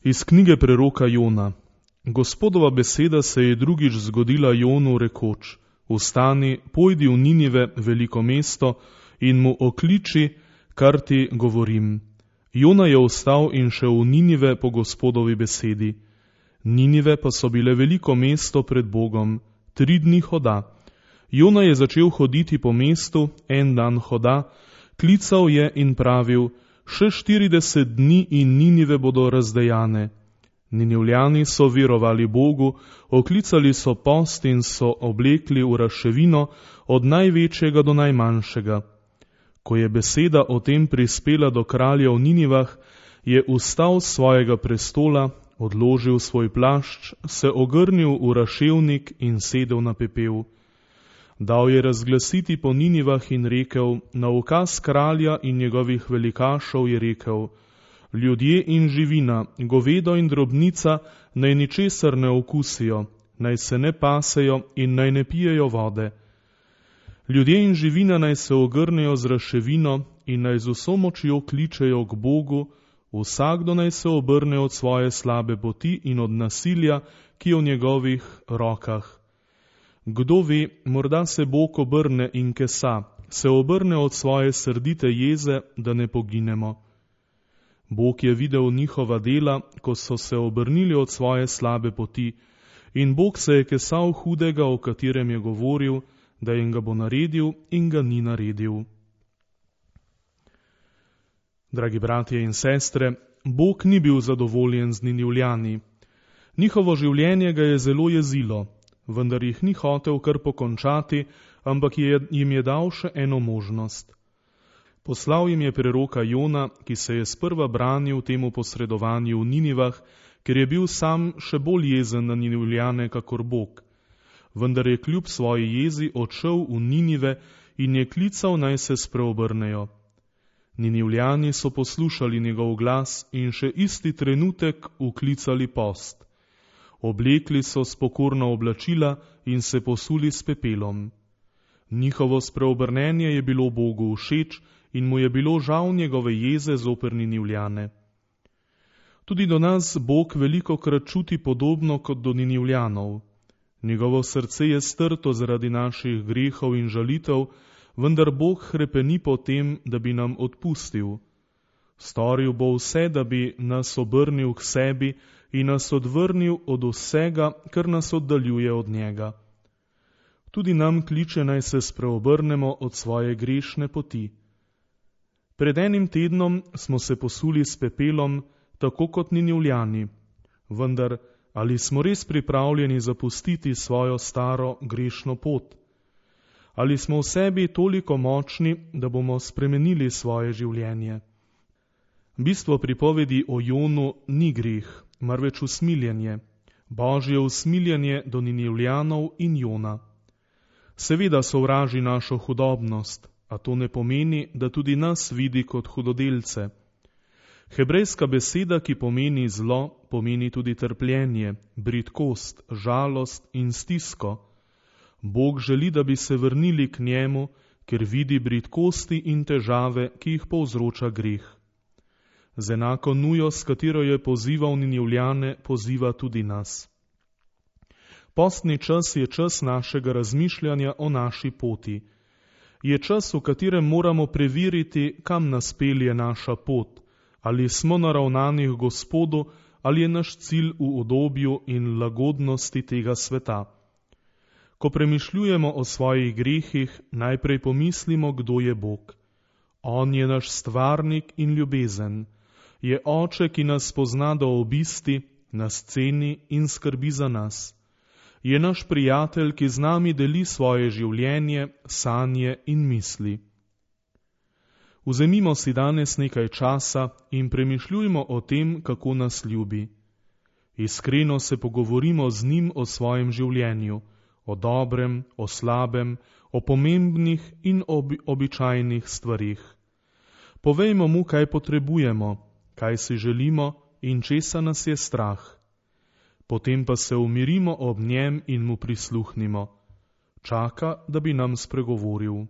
Iz knjige preroka Jona. Gospodova beseda se je drugič zgodila Jonu rekoč: Vstani, pojdi v Ninive, veliko mesto, in mu okliči, kar ti govorim. Jona je vstal in šel v Ninive po Gospodovi besedi. Ninive pa so bile veliko mesto pred Bogom, 3 dni hoda. Jona je začel hoditi po mestu, 1 dan hoda, klical je in pravil: še 40 dni in Ninive bodo razdejane. Ninivljani so verovali Bogu, oklicali so post in so oblekli v razševino od največjega do najmanjšega. Ko je beseda o tem prispela do kralja v Ninivah, je vstal s svojega prestola, odložil svoj plašč, se ogrnil v raševnik in sedel na pepel. Dal je razglasiti po Ninivah in rekel: na ukaz kralja in njegovih velikašev je rekel: ljudje in živina, govedo in drobnica naj ničesar ne okusijo, naj se ne pasejo in naj ne pijejo vode. Ljudje in živina naj se ogrnejo z raševino in naj z vso močjo kličejo k Bogu, vsakdo naj se obrne od svoje slabe poti in od nasilja, ki je v njegovih rokah. Kdo ve, morda se Bog obrne in kesa, se obrne od svoje srdite jeze, da ne poginemo. Bog je videl njihova dela, ko so se obrnili od svoje slabe poti, in Bog se je kesal hudega, o katerem je govoril, da jim ga bo naredil in ga ni naredil. Dragi bratje in sestre, Bog ni bil zadovoljen z Ninivljani. Njihovo življenje ga je zelo jezilo, vendar jih ni hotel kar pokončati, ampak jim je dal še eno možnost. Poslal jim je preroka Jona, ki se je sprva branil temu posredovanju v Ninivah, ker je bil sam še bolj jezen na Ninivljane kakor Bog. Vendar je kljub svoji jezi odšel v Ninive in je klical, naj se spreobrnejo. Ninivljani so poslušali njegov glas in še isti trenutek uklicali post. Oblekli so spokorna oblačila in se posuli s pepelom. Njihovo spreobrnenje je bilo Bogu všeč in mu je bilo žal njegove jeze zoper Ninivljane. Tudi do nas Bog velikokrat čuti podobno kot do Ninivljanov. Njegovo srce je strto zaradi naših grehov in žalitev, vendar Bog hrepeni po tem, da bi nam odpustil. Storil bo vse, da bi nas obrnil k sebi in nas odvrnil od vsega, kar nas oddaljuje od njega. Tudi nam kliče, naj se spreobrnemo od svoje grešne poti. Pred 1 tednom smo se posuli s pepelom, tako kot Ninivljani, vendar ali smo res pripravljeni zapustiti svojo staro grešno pot? Ali smo v sebi toliko močni, da bomo spremenili svoje življenje? Bistvo pripovedi o Jonu ni greh, marveč usmiljenje, Božje usmiljenje do Ninivljanov in Jona. Seveda sovraži našo hudobnost, a to ne pomeni, da tudi nas vidi kot hudodelce. Hebrejska beseda, ki pomeni zlo, pomeni tudi trpljenje, bridkost, žalost in stisko. Bog želi, da bi se vrnili k njemu, ker vidi bridkosti in težave, ki jih povzroča greh. Z enako nujo, s katero je pozival Ninivljane, poziva tudi nas. Postni čas je čas našega razmišljanja o naši poti. Je čas, v katerem moramo preveriti, kam nas pelje naša pot, ali smo naravnani k Gospodu, ali je naš cilj v udobju in lagodnosti tega sveta. Ko premišljujemo o svojih grehih, najprej pomislimo, kdo je Bog. On je naš stvarnik in ljubezen. Je oče, ki nas pozna do obisti, nas ceni in skrbi za nas. Je naš prijatelj, ki z nami deli svoje življenje, sanje in misli. Vzemimo si danes nekaj časa in premišljujmo o tem, kako nas ljubi. Iskreno se pogovorimo z njim o svojem življenju, o dobrem, o slabem, o pomembnih in običajnih stvarih. Povejmo mu, kaj potrebujemo, kaj si želimo in česa nas je strah. Potem pa se umirimo ob njem in mu prisluhnimo. Čaka, da bi nam spregovoril.